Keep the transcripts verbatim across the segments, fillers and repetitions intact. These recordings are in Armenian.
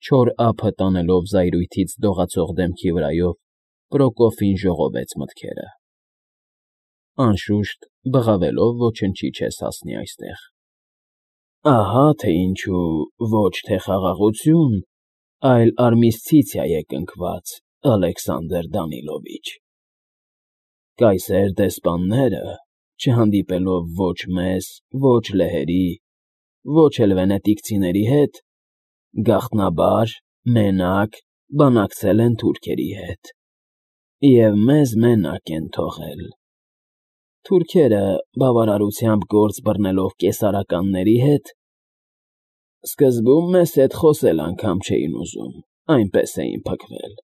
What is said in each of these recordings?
Չոր ափը տանելով զայրույթից դողացող դեմքի վրայով, Պրոկոֆին ժողովեց մտքերը. անշուշտ, բղավելով ոչնչի չես հասնի այստեղ… Ահա թե ինչու ոչ թե խաղաղություն, այլ արմիսցիցիա է կնքված, Ալեքսանդր Դանիլովիչ… Կայսեր դեսպանները, չհանդիպելով ոչ մեզ, ոչ լեհերի, ոչ էլ վենետիկցիների հետ, գաղտնաբար, մենակ բանակցել են թուրքերի հետ և մեզ մենակ են թողել… Թուրքերը, բավարարությամբ գործ բռնելով կեսարականների հետ, սկզբում մեզ հետ խոսել անգամ չէին ուզում, այնպես էին փքվել…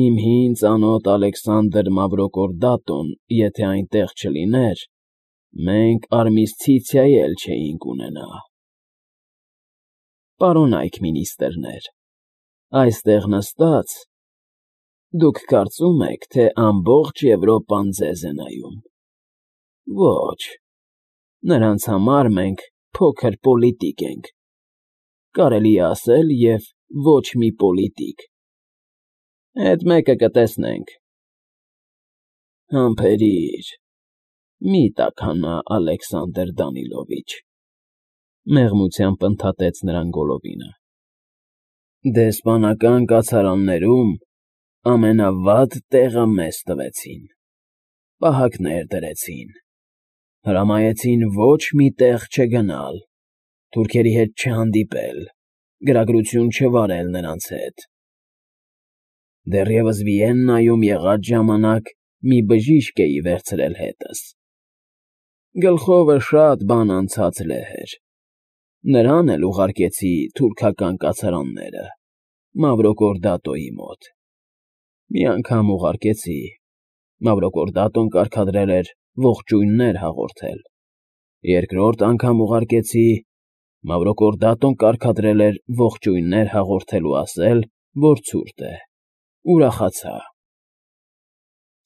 Իմ հին ծանոթ Ալեքսանդր Մավրոկորդատոն եթե այնտեղ չլիներ, մենք արմիսցիցիա էլ չէինք ունենա… Պարոն այք֊մինիստրներ, այստեղ նստած, դուք կարծում եք, թե ամբողջ Եվրոպան ձեզ է նայում… Ոչ, նրանց համար մենք փոքր պոլիտիկ ենք, կարելի է ասել և ոչ մի պոլիտիկ… Էդ մեկը կտեսնենք… Համբերիր, մի տաքանա, Ալեքսանդր Դանիլովիչ, մեղմությամբ ընդհատեց նրան Գոլլովինը… Դեսպանական կացարաններում ամենավատ տեղը մեզ տվեցին, պահակներ դրեցին, հրամայեցին ոչ մի տեղ չգնալ, թուրքերի հետ չհանդիպել, գրագրություն չվարել նրանց հետ… Դեռևս Վիեննայում եղած ժամանակ մի բժիշկ էի վերցրել հետս… Գլխովը շատ բան անցած լեհ էր, նրան էլ ուղարկեցի թուրքական կացարանները, Մավրոկորդատոյի մոտ… Մի անգամ ուղարկեցի, Մավրոկորդատոն կարգադրել էր ողջույններ հաղորդել, երկրորդ անգամ ուղարկեցի, Մավրոկորդատոն կարգադրել էր ողջույններ հաղորդել ու ասել, որ ցուրտ է, ուրախացա…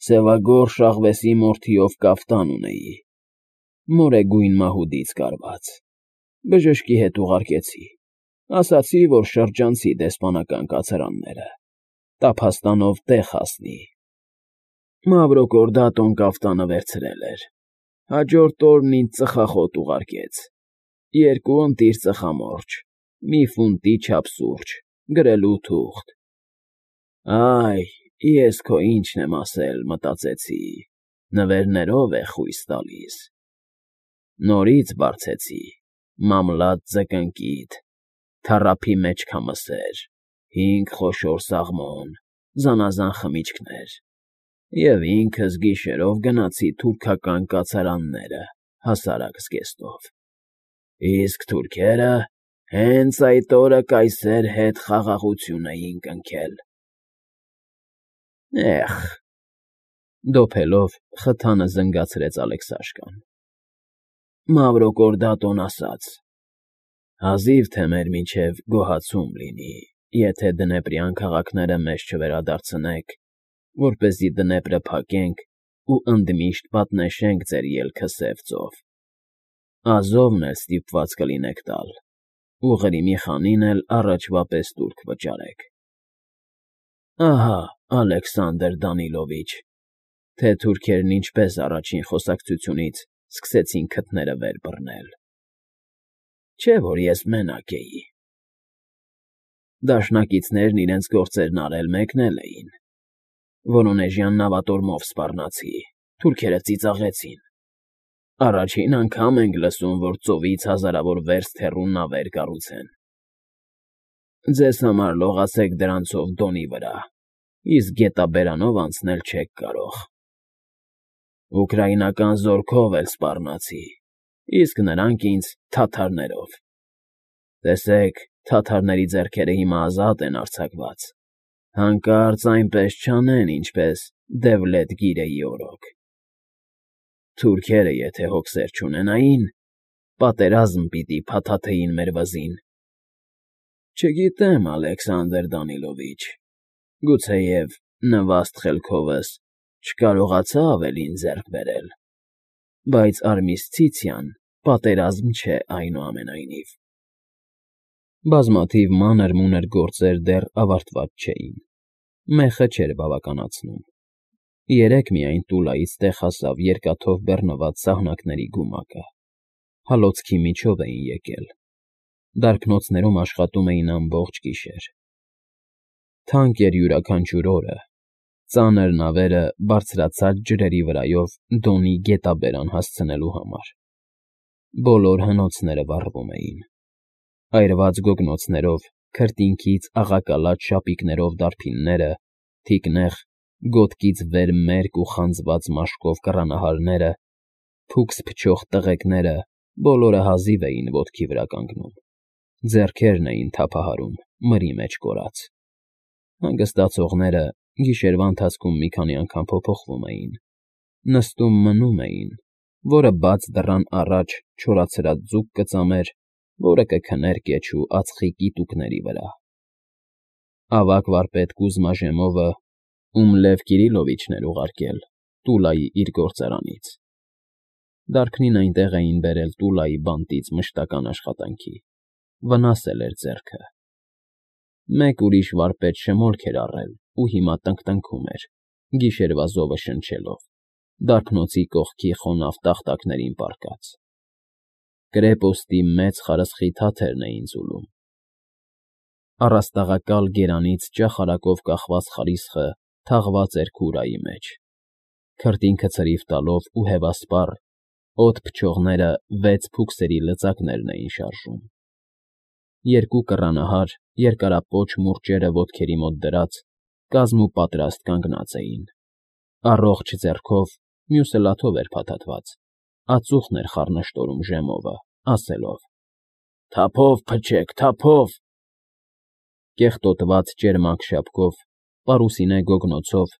Սևագորշ աղվեսի մորթիով կաֆտան ունեի, մորեգույն մահուդից կարված, բժշկի հետ ուղարկեցի, ասացի, որ շրջանցի դեսպանական կացարանները, տափաստանով տեղ հասնի… Մավրոկորդատոն կաֆտանը վերցրել էր, հաջորդ օրն ինձ ծխախոտ ուղարկեց, երկու ընտիր ծխամորճ, մի ֆունտի չափ սուրճ, գրելու թուղթ… Այ, ես քո ինչն եմ ասել, մտածեցի, նվերներով է խույս տալիս… Նորից բարձեցի, մամլատ ձկնկիթ, թառափի մեջ քամսեր, հինգ խոշոր սաղմոն, զանազան խմիչքներ և ինքս գիշերով գնացի թուրքական կացարանները հասարակ զգեստով… Իսկ թուրքերը հենց այդ օրը կայսեր հետ խաղաղություն էին կնքել… Էհ… Դոփելով, խթանը զնգացրեց Ալեքսաշկան… Մավրոկորդատոն ասաց. հազիվ թե մեր միջև գոհացում լինի, եթե դնեպրյան քաղաքները մեզ չվերադարձնեք, որպեսզի Դնեպրը փակենք ու ընդմիշտ պատնեշենք ձեր ելքը Սև ծով, Ազովն էլ ստիպված կլինեք տալ, ու Ղրիմի խանին էլ առաջվա պես տուրք վճարեք… Ահա, Ալեքսանդր Դանիլովիչ, թե թուրքերն ինչպես առաջին խոսակցությունից սկսեցին քթները վեր բռնել… Չէ՞ որ ես մենակ էի… Դաշնակիցներն իրենց գործերն արել մեկնել էին… Վորոնեժյան նավատորմով սպառնացի, թուրքերը ծիծաղեցին… Առաջին անգամ ենք լսում, որ ծովից հազարավոր վերստ հեռու նավեր կառուցեն… Ձեզ համար լողացեք դրանցով Դոնի վրա, իսկ գետաբերանով անցնել չեք կարող… Ուկրաինական զորքով էլ սպառնացի, իսկ նրանք ինձ թաթարներով… Տեսեք, թաթարների ձեռքերը հիմա ազատ են արձակված, հանկարծ այնպես չանեն, ինչպես Դևլետ֊Գիրեի օրոք… Թուրքերը եթե հոգսեր չունենային, պատերազմ պիտի փաթաթեին մեր վզին… Չգիտեմ, Ալեքսանդր Դանիլովիչ, գուցեև նվաստ խելքովս չկարողացա ավելին ձեռք բերել, բայց արմիսցիցիան պատերազմ չէ այնուամենայնիվ… Բազմաթիվ մանր-մունր գործեր դեռ ավարտված չէին, մեխը չէր բավականացնում։ Երեկ միայն Տուլայից տեղ հասավ երկաթով բեռնված սահնակների գումակը, հալոցքի միջով էին եկել, դարբնոցներում աշխատում էին ամբողջ գիշեր։ Թանկ էր յուրաքանչյուր օրը, ծանր նավերը բարձրացած ջրերի վրայով Դոնի գետաբերան հասցնելու համար։ Բոլոր հնոցները վառվում էին, այրված գոգնոցներով, քրտինքից աղակալած շապիկներով դարբինները, թիկնեղ, գոտկից վեր մերկ ու խանձված մաշկով կռանահարները, փուքս փչող տղեկները բոլորը հազիվ էին ոտքի վրա կանգնում, ձեռքերն էին թափահարում մրի մեջ կորած։ Հանգստացողները գիշերվա ընթացքում մի քանի անգամ փոփոխվում էին, նստում մնում էին, որը բաց դռան առաջ չորացրած ձուկ կծամեր, որը կքներ կեչու ածխի կիտուկների վրա։ Ավագ վարպետ Կուզմա-Ժեմովը, ում Լև Կիրիլովիչն էր ուղարկել Տուլայի իր գործարանից։ Դարբնին այնտեղ էին բերել Տուլայի բանտից մշտական աշխատանքի, վնասել էր ձեռքը։ Մեկ ուրիշ վարպետ շմորք էր առել ու հիմա տնկտնքում էր, գիշերվա զովը շնչելով, դարբնոցի կողքի խոնավ տախտակներին պառկած։ Կրեպոստի մեծ խարսխի թաթերն էին ձուլում։ Առաստաղակալ գերանից ճախարակով կախված խարիսխը թաղված էր քուրայի մեջ, քրտինքը ցրիվ տալով ու հևասպառ, օդ փչողները վեց փուքսերի լծակներն էին շարժում։ Երկու կռանահար, երկարապոչ մուրճերը ոտքերի մոտ դրած, կազմուպատրաստ կանգնած էին, առողջ ձեռքով, մյուսը լաթով էր փաթաթված, ածուխն էր խառնշտորում Ժեմովը, ասելով. «Թափով փչեք, թափով»։ Կեղտոտված ճերմակ շապկով, պարուսինե գոգնոցով,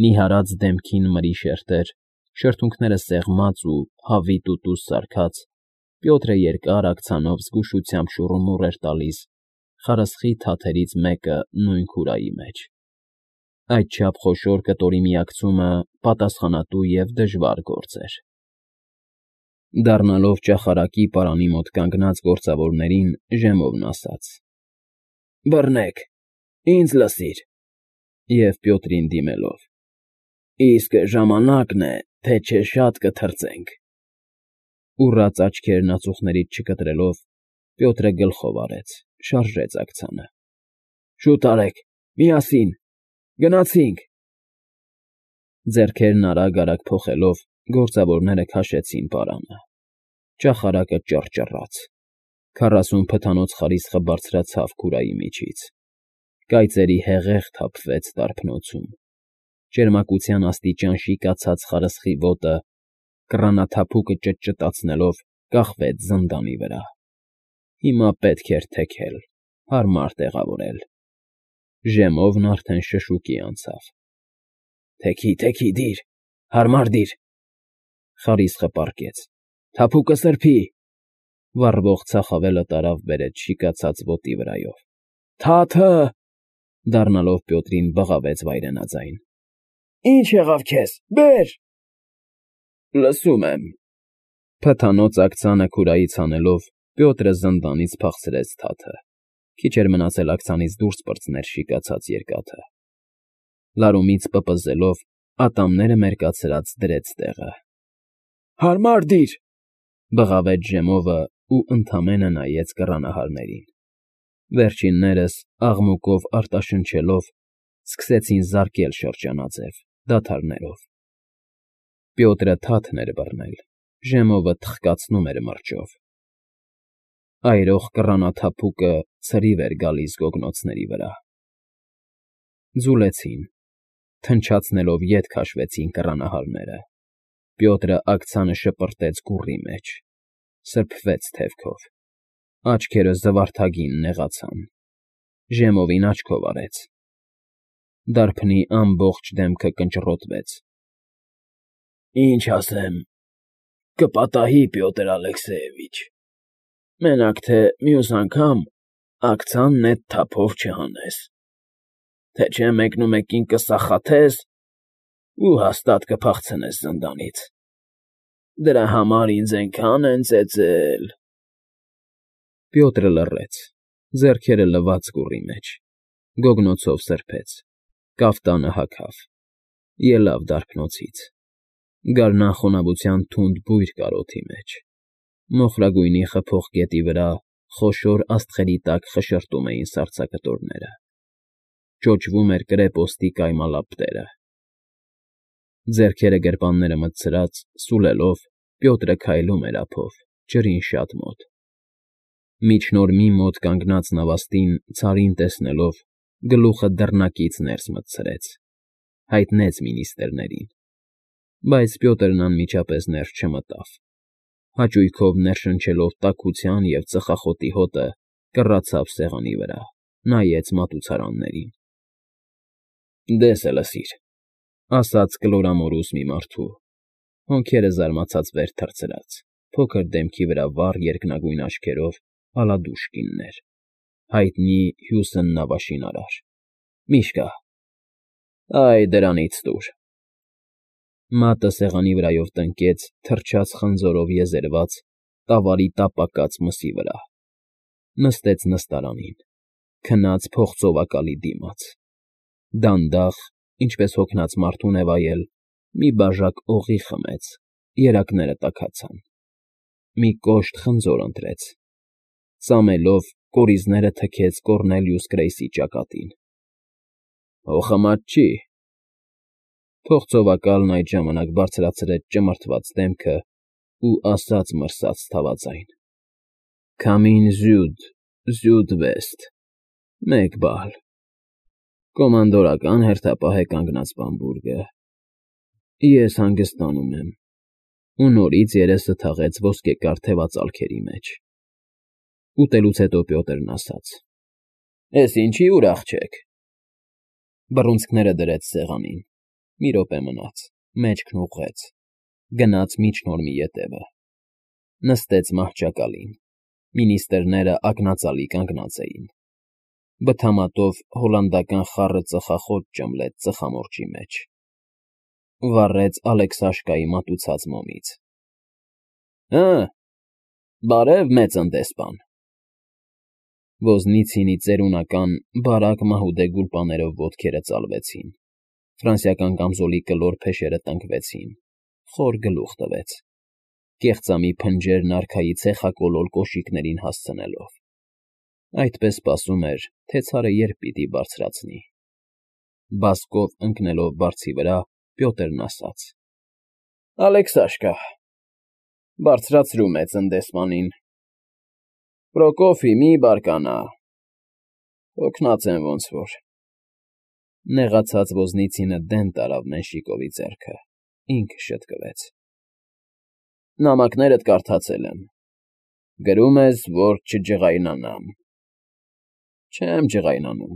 նիհարած դեմքին մրի շերտեր, շրթունքները սեղմած ու հավի տուտուս սարքած, Պյոտրը երկար աքցանով զգուշությամբ շուռումուռ էր տալիս խարսխի թաթերից մեկը նույն քուրայի մեջ։ Այդչափ խոշոր կտորի միակցումը պատասխանատու և դժվար գործ էր։ Դառնալով ճախարակի պարանի մոտ կանգնած գործավորներին, Ժեմովն ասաց. «Բռնեք, ինձ լսիր»։ Եվ Պյոտրին դիմելով. «Իսկ ժամանակն է, թե չէ շատ կթրծենք»։ Ուռած աչքերն ածուխներից չկտրելով, Պյոտրը գլխով արեց, շարժեց աքցանը։ «Շուտ արեք, միասին, գնացինք»։ Ձեռքերն արագ֊արագ փոխելով, գործավորները քաշեցին պարանը։ Ճախարակը ճռճռաց, քառասուն փթանոց խարիսխը բարձրացավ քուրայի միջից, կայծերի հեղեղ թափվեց դարբնոցում, ճերմակության աստիճան շիկացած խարսխի ոտը, կռանաթափուկը ճտճտացնելով, կախվեց զնդանի վրա։ Հիմա պետք էր թեքել, հարմար տեղավորել։ Ժեմովն արդեն շշուկի անցավ։ «Թեքի, թեքի, դիր, հարմար դիր»։ Խարիսխը պառկեց։ «Թափուկը սրբի»։ Վառվող ծախավելը տարավ բերեց շիկացած ոտի վրայով։ «Թա՜թը», դառնալով Պյոտրին բղավեց վայրենաձայն։ «Ի՞նչ եղավ քեզ, բեր»։ «Լսում եմ»։ Փթանոց աքցանը քուրայից հանելով, Պյոտրը զնդանից փախցրեց թաթը, քիչ էր մնացել աքցանից դուրս պրծներ շիկացած երկաթը։ Լարումից պպզելով, ատամները մերկացրած դրեց տեղը։ «Հարմար դիր», բղավեց Ժեմովը ու ընդամենը նայեց կռանահարներին։ Վերջիններս, աղմուկով արտաշնչելով, սկսեցին զարկել շրջանաձև, դադարներով։ Պյոտրը թաթն էր բռնել, Ժեմովը թխկացնում էր մրջով։ Այրող կռանաթափուկը ցրիվ էր գալիս գոգնոցների վրա։ Ձուլեցին, թնչացնելով ետ քաշվեցին կռանահարները։ Պյոտրը աքցանը շպրտեց գուռի մեջ, սրբվեց թևքով, աչքերը զվարթագին նեղացան, Ժեմովին աչքով արեց։ Դարբնի ամբողջ դեմքը կնճռոտվեց։ «Ինչ ասեմ, կպատահի, Պյոտր Ալեքսեևիչ, մենակ թե մյուս անգամ աքցանն էդ թափով չհանես, թե չէ մեկնումեկին կսախաթես ու հաստատ կփախցնես զնդանից։ Դրա համար ինձ էնքան են ծեծել»։ Պյոտրը լռեց, Ձեռքերը լվաց կուռի մեջ, գոգնոցով սրբեց, կաֆտանը հագավ, ելավ դարբնոցից, գարնան խոնավության թունդ բույր կար օդի մեջ, մոխրագույնի խփող գետի վրա խոշոր աստղերի տակ խշշրտում էին սառցակտորները, ճոճվում էր կրեպոստի կայմալապտերը։ Ձեռքերը գրպանները մտցրած, սուլելով, Պյոտրը քայլում էր ափով, ջրին շատ մոտ։ Միջնորմի մոտ կանգնած նավաստին ցարին տեսնելով, գլուխը դռնակից ներս մտցրեց, հայտնեց մինիստրներին, բայց Պյոտրն անմիջապես ներս չմտավ, հաճույքով ներշնչելով տաքության և ծխախոտի հոտը, կռացավ սեղանի վրա, նայեց մատուցարաններին։ ֊ Դես է լսիր,֊ ասաց կլորամորուս մի մարդու, հոնքերը զարմացած վեր թռցրած, փոքր դեմքի վրա վառ երկնագույն աչքերով ալադուշ կիններ, հայտնի Հյուստոն նավաշինարար, միշկա, այ դրանից տուր… Մատը սեղանի վրայով տնկեց թրջած խնձորով եզերված, տավարի տապակած մսի վրա, նստեց նստարանին, քնած փողծովակալի դիմաց, դանդաղ, ինչպես հոգնած մարդու նվայել, մի բաժակ օղի խմեց, երակները տաքացան, մի կոշտ խնձոր ընտրեց, ծամելով, կորիզները թքեց Կոռնելիուս Գրեյսի ճակատին։ ֊ Հո խմած չի… Փողծովակալն այդ ժամանակ բարձրացրեց ճմրթված դեմքն ու ասաց մրսած թավաձայն. ֊ Քամին զյուդ, զյուդ վեսթ, մեկ բալ… Կոմանդորական հերթապահ է կանգնած բամբուրգը… Ես հանգստանում եմ… Ու նորից երեսը թաղեց ոսկեկար թևածալքերի մեջ… Ուտելուց հետո Պյոտրն ասաց. ֊ Էս ինչի ուրախ չեք… Բռունցքները դրեց սեղանին, մի րոպե մնաց, մեջքն ուղղեց, գնաց միջնորմի ետևը, նստեց մահճակալին, մինիստրները ակնածալի կանգնած էին, բթամատով հոլանդական խառը ծխախոտ ճմլեց ծխամորճի մեջ, վառեց Ալեքսաշկայի մատուցած մոմից։ ֊ Հը, բարև, մեծն դեսպան… Ոզնիցինի ծերունական, բարակ մահուդե գուլպաներով ոտքերը ծալվեցին, ֆրանսիական կամզոլի կլոր փեշերը տնկվեցին, խոր գլուխ տվեց, կեղծամի փնջերն արքայի ցեխակոլոր կոշիկներին հասցնելով, այդպես սպասում էր, թե ցարը երբ պիտի բարձրացնի… Բասկով ընկնելով բարձի վրա, Պյոտրն ասաց. ֊ Ալեքսաշկա… Բարձրացրու մեծն դեսպանին… Պրոկոֆի, մի բարկանա… Հոգնած եմ ոնց֊որ… Նեղացած ոզնիցինը դեն տարավ Մենշիկովի ձեռքը, ինքը շտկվեց. ֊ Նամակներդ կարդացել եմ… Գրում ես, որ չջղայնանամ… Չեմ ջղայնանում…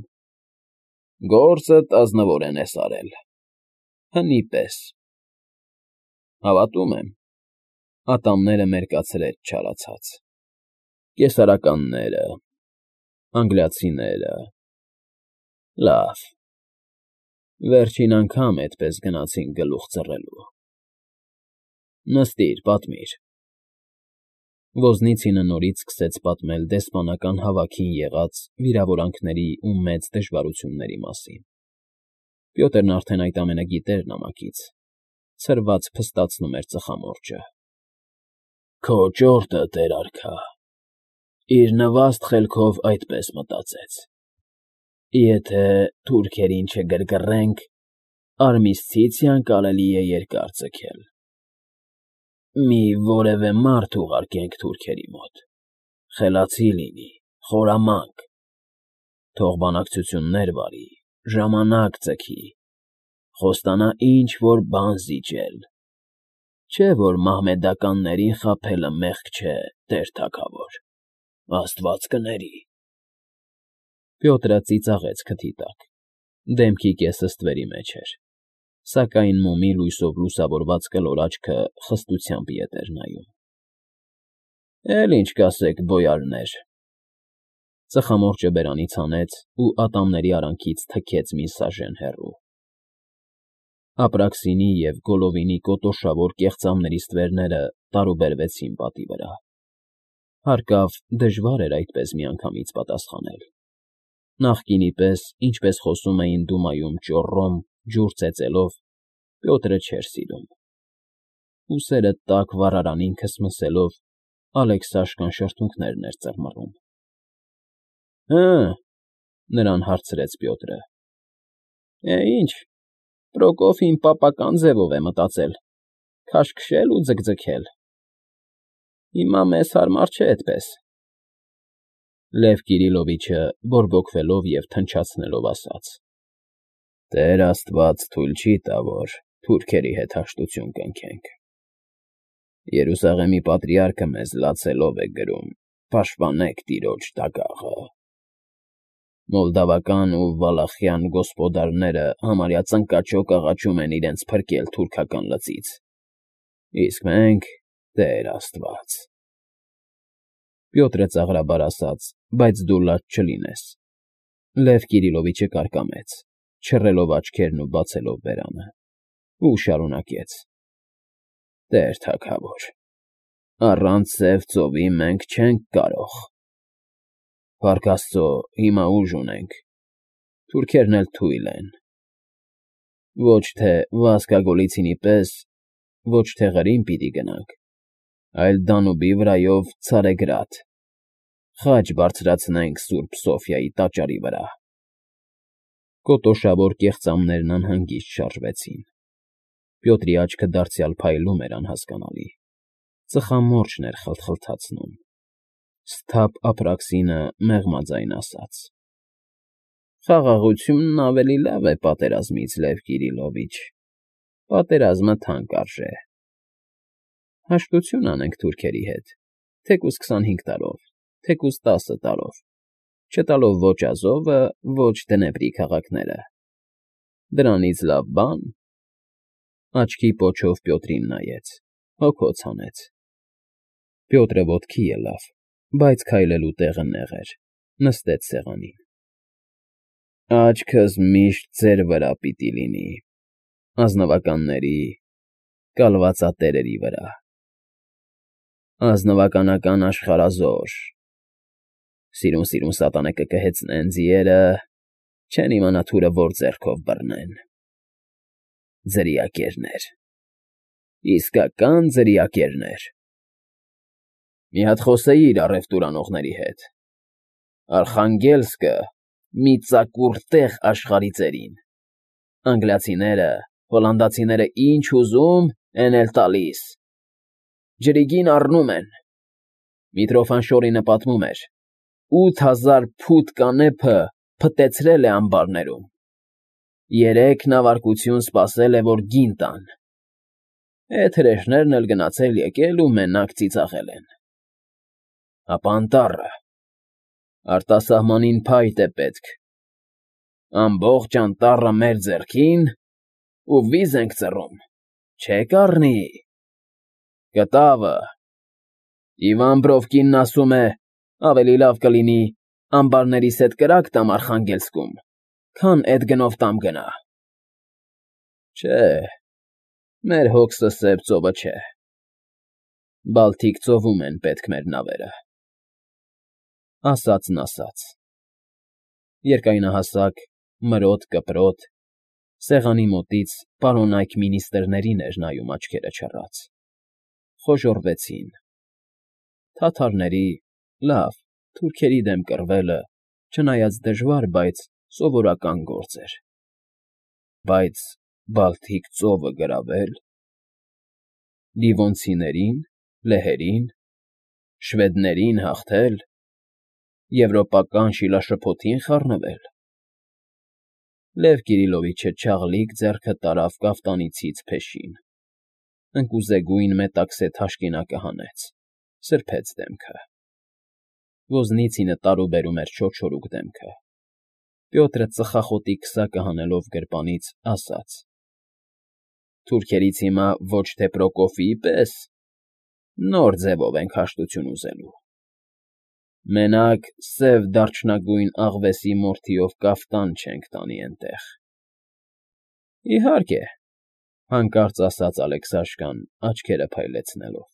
Գործդ ազնվորեն ես արել… Հնի պես… Հավատում եմ… Ատամները մերկացրեց չարացած… Կեսարականները… Անգլիացիները… Լավ… Վերջին անգամ էդպես գնացինք գլուխ ձռելու… Նստիր, պատմիր… Ոզնիցինը նորից սկսեց պատմել դեսպանական հավաքին եղած վիրավորանքների ու մեծ դժվարությունների մասին… Պյոտրն արդեն այդ ամենը գիտեր նամակից, ցրված փստացնում էր ծխամորճը… Քո ճորտը, տեր արքա… Իր նվաստ խելքով այդպես մտածեց. Եթե թուրքերին չգրգռենք, արմիսցիցիան կարելի է երկար ձգել… Մի որևէ մարդ ուղարկենք թուրքերի մոտ, խելացի լինի, խորամանկ, թող բանակցություններ վարի, ժամանակ ձգի, խոստանա ինչ֊որ բան զիջել… Չէ՞ որ մահմեդականներին խաբելը մեղք չէ, տեր թագավոր… Աստված կների… Պյոտրը ծիծաղեց քթի տակ, դեմքի կեսը ստվերի մեջ էր, սակայն մոմի լույսով լուսավորված կլոր աչքը խստությամբ ետ էր նայում։ ֊ Էլ ինչ կասեք, բոյարներ… Ծխամորճը բերանից հանեց ու ատամների արանքից թքեց մի սաժեն հեռու… Ապրաքսինի և Գոլովինի կոտորշավոր կեղծամների ստվերները տարուբերվեցին պատի վրա, Հարկավ, դժվար էր այդպես միանգամից պատասխանել։ Նախկինի պես, ինչպես խոսում էին Դումայում ճոռոմ, ջուր ծեծելով, Պյոտրը չէր սիրում։ Ուսերը տաք վառարանին քսմսելով, Ալեքսաշկան շրթունքներն էր ծռմռում։ ֊ Հը,֊ նրան հարցրեց Պյոտրը։ ֊ Է, ինչ, Պրոկոֆին պապական ձևով է մտածել, քաշքշել ու ձգձգել։ Հիմա մեզ հարմար չէ էդպես։ Լև Կիրիլովիչը բորբոքվելով և թնչացնելով ասաց. ֊ Տեր աստված թույլ չի տա, որ թուրքերի հետ հաշտություն կնքենք։ Երուսաղեմի պատրիարքը մեզ լացելով է գրում. «Պաշտպանեք տիրոջ դագաղը»։ Մոլդավական ու վալախյան գոսպոդարները համարյա ծնկաչոք աղաչում են իրենց փրկել թուրքական լծից, իսկ մենք, Տեր աստված… Պյոտրը ծաղրաբար ասաց. բայց դու լաց չլինես։ Լև Կիրիլովիչը կարկամեց, չռելով աչքերն ու բացելով բերանը, ու շարունակեց. Տեր թագավոր, առանց սև ծովի մենք չենք կարող… Փառք աստծո, հիմա ուժ ունենք, թուրքերն էլ թույլ են… Ոչ թե Վասկա Գոլիցինի պես, ոչ թե Ղրիմ պիտի գնանք, այլ Դանուբի վրայով Ցարեգրադ, խաչ բարձրացնենք Սուրբ Սոֆիայի տաճարի վրա… Կոտոշավոր կեղծամներն անհանգիստ շարժվեցին։ Պյոտրի աչքը դարձյալ փայլում էր անհասկանալի, ծխամորճն էր խլթխլթացնում։ Սթափ Ափրաքսինը մեղմաձայն ասաց. ֊ Խաղաղությունն ավելի լավ է պատերազմից, Լև Կիրիլովիչ, պատերազմը թանկ արժե… Հաշտություն անենք թուրքերի հետ, թեկուզ քսանհինգ տարով, թեկուզ տասը տարով, չտալով ոչ Ազովը, ոչ Դնեպրի քաղաքները… Դրանից լավ բա՞ն… Աչքի պոչով Պյոտրին նայեց, հոգոց հանեց։ Պյոտրը ոտքի ելավ, բայց քայլելու տեղը նեղ էր, նստեց սեղանին։ ֊ Աչքս միշտ ձեր վրա պիտի լինի, ազնվականների, կալվածատերերի վրա… Ազնվականական աշխարհազոր… Սիրուն֊սիրուն սատանե կկհեցնեն ձիերը, չեն իմանա թուրը որ ձեռքով բռնեն… Ձրիակերներ… իսկական ձրիակերներ… Մի հատ խոսեիր առևտուր անողների հետ… Արխանգելսկը մի ծակուռ տեղ աշխարհի ծերին… Անգլիացիները, հոլանդացիները ինչ ուզում, էն էլ տալիս… Ջրիգին առնում են… Միտրոֆանշորինը պատմում էր. ութ հազար փութ կանեփը փտեցրել է ամբարներում, երեք նավարկություն սպասել է, որ գին տան… Էդ հրեշներն էլ գնացել֊եկել ու մենակ ծիծաղել են… Հապա անտառը… Արտասահմանին փայտ է պետք… Ամբողջ անտառը մեր ձեռքին, ու վիզ ենք ծռում, չե՞ք առնի… Կտավը… Իվան Բրովկինն ասում է, ավելի լավ կլինի ամբարներիս հետ կրակ տամ Արխանգելսկում, քան էդ գնով տամ գնա… Չէ, մեր հոգսը սև ծովը չէ… Բալթիկ ծովում են պետք մեր նավերը… Ասածն ասած… Երկայնահասակ, մրոտ կպրոտ, սեղանի մոտից պարոնայք մինիստրերին էր նայում աչքերը չռած… Խոժոռվեցին… Թաթարների, լավ, թուրքերի դեմ կռվելը, չնայած դժվար, բայց սովորական գործ էր… Բայց Բալթիկ ծովը գրավե՞լ… Դիվոնցիների՞ն, լեհերի՞ն, շվեդների՞ն հաղթել… Եվրոպական շիլաշփոթի՞ն խառնվել… Լև Կիրիլովիչը չաղլիկ ձեռքը տարավ կաֆտանիցից փեշին, ընկուզեգույն մետաքսե թաշկինակը հանեց, սրբեց դեմքը… Ոզնիցինը տարուբերում էր չոչորուկ դեմքը… Պյոտրը ծխախոտի քսակը հանելով գրպանից, ասաց. Թուրքերից հիմա ոչ թե Պրոկոֆիի պես, նոր ձևով ենք հաշտություն ուզելու… Մենակ սև դարչնագույն աղվեսի մորթիով կաֆտան չենք տանի էնտեղ… ֊ Իհարկե,֊ հանկարծ ասաց Ալեքսաշկան, աչքերը փայլեցնելով։